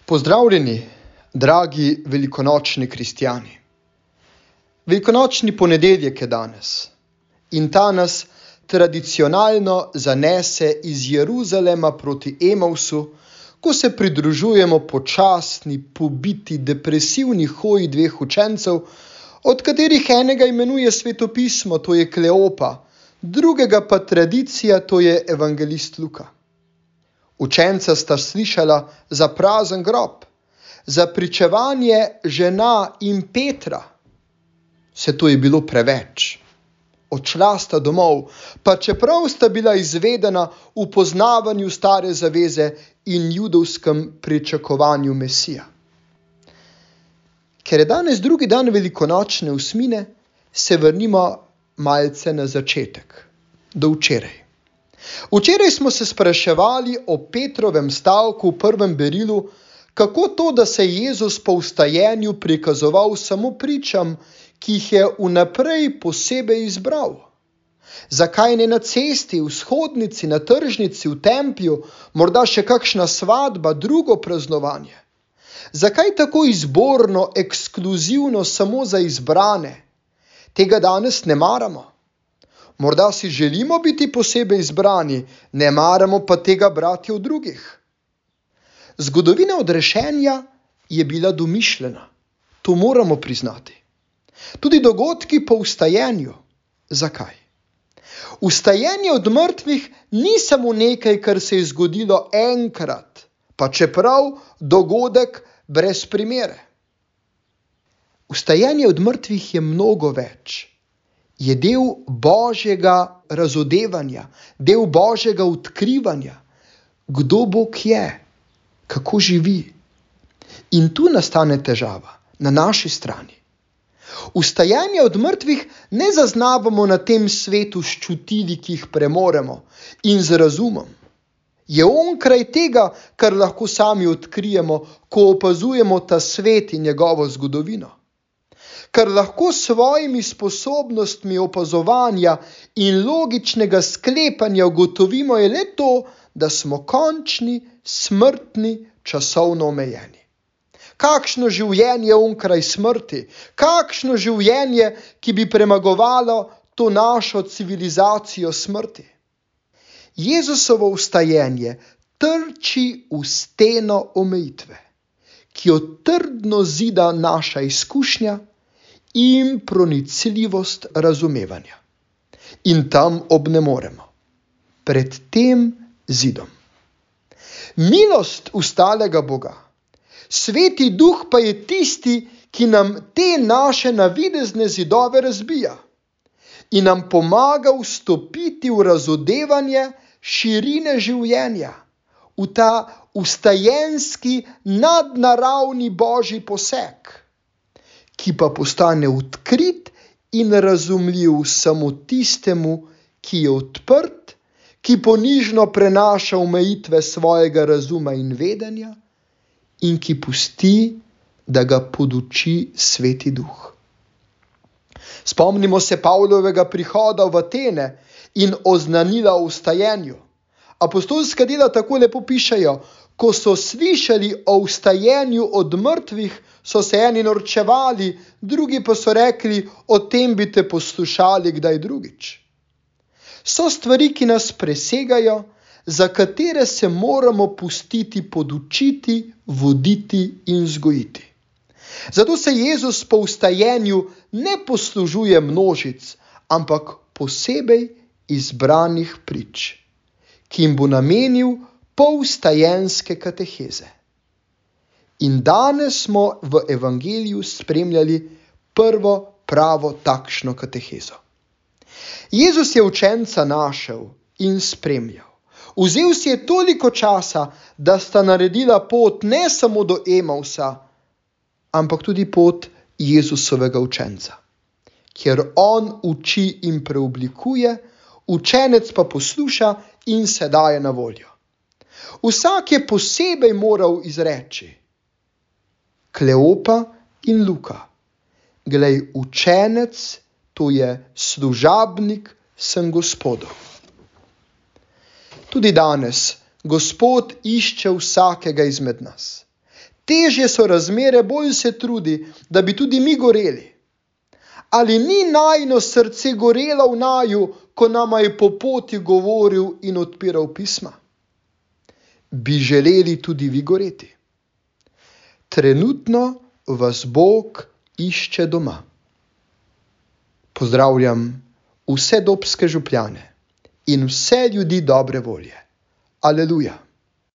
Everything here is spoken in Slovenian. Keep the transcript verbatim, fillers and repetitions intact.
Pozdravljeni, dragi velikonočni kristjani. Velikonočni ponedeljek je danes in ta nas tradicionalno zanese iz Jeruzalema proti Emavsu, ko se pridružujemo počasni, pobiti, depresivni hoji dveh učencev, od katerih enega imenuje svetopismo, to je Kleopa, drugega pa tradicija, to je evangelist Luka. Učenca sta slišala za prazen grob, za pričevanje žena in Petra. Vse to je bilo preveč. Odšla sta domov, pa čeprav sta bila izvedena v poznavanju stare zaveze in judovskem pričakovanju Mesija. Ker je danes drugi dan velikonočne osmine, se vrnimo malce na začetek, do včeraj. Včeraj smo se spraševali o Petrovem stavku v prvem berilu, kako to, da se je Jezus po vstajenju prikazoval samo pričam, ki jih je vnaprej posebej izbral. Zakaj ne na cesti, v shodnici, na tržnici, v templju, morda še kakšna svadba, drugo praznovanje? Zakaj tako izborno, ekskluzivno samo za izbrane? Tega danes ne maramo. Morda si želimo biti posebej izbrani, ne maramo pa tega brati od drugih. Zgodovina odrešenja je bila domišljena, to moramo priznati. Tudi dogodki po vstajenju. Zakaj? Vstajenje od mrtvih ni samo nekaj, kar se je zgodilo enkrat, pa čeprav dogodek brez primere. Vstajenje od mrtvih je mnogo več. Je del Božjega razodevanja, del Božjega odkrivanja, kdo Bog je, kako živi. In tu nastane težava, na naši strani. Vstajanje od mrtvih ne zaznavamo na tem svetu s čutili, ki jih premoremo, in z razumom. Je onkraj tega, kar lahko sami odkrijemo, ko opazujemo ta svet in njegovo zgodovino. Kar lahko s svojimi sposobnostmi opazovanja in logičnega sklepanja ugotovimo, je le to, da smo končni, smrtni, časovno omejeni. Kakšno življenje onkraj smrti, kakšno življenje, ki bi premagovalo to našo civilizacijo smrti. Jezusovo vstajenje trči v steno omejitve, ki jo trdno zida naša izkušnja in pronicljivost razumevanja. In tam obnemoremo, pred tem zidom. Milost ustalega Boga, Sveti Duh pa je tisti, ki nam te naše navidezne zidove razbija in nam pomaga vstopiti v razodevanje širine življenja, v ta vstajenski nadnaravni Božji poseg, ki pa postane odkrit in razumljiv samo tistemu, ki je odprt, ki ponižno prenaša omejitve svojega razuma in vedenja in ki pusti, da ga poduči Sveti Duh. Spomnimo se Pavlovega prihoda v Atene in oznanila o vstajenju. Apostolska dela tako lepo pišejo: ko so slišali o vstajenju od mrtvih, so se eni norčevali, drugi pa so rekli: o tem bi te poslušali kdaj drugič. So stvari, ki nas presegajo, za katere se moramo pustiti podučiti, voditi in vzgojiti. Zato se Jezus po vstajenju ne poslužuje množic, ampak posebej izbranih prič, ki jim bo namenil polvstajenske kateheze. In danes smo v evangeliju spremljali prvo pravo takšno katehezo. Jezus je učenca našel in spremljal. Vzel si je toliko časa, da sta naredila pot ne samo do Emavsa, ampak tudi pot Jezusovega učenca. Kjer on uči in preoblikuje, učenec pa posluša in se daje na voljo. Vsak je posebej moral izreči: Kleopa in Luka, glej, učenec, to je služabnik, sem Gospodov. Tudi danes Gospod išče vsakega izmed nas. Težje so razmere, bolj se trudi, da bi tudi mi goreli. Ali ni najino srce gorelo v naju, ko nama je po poti govoril in odpiral pisma? Bi želeli tudi vi goreti? Trenutno vas Bog išče doma. Pozdravljam vse Dobske župljane in vse ljudi dobre volje. Aleluja.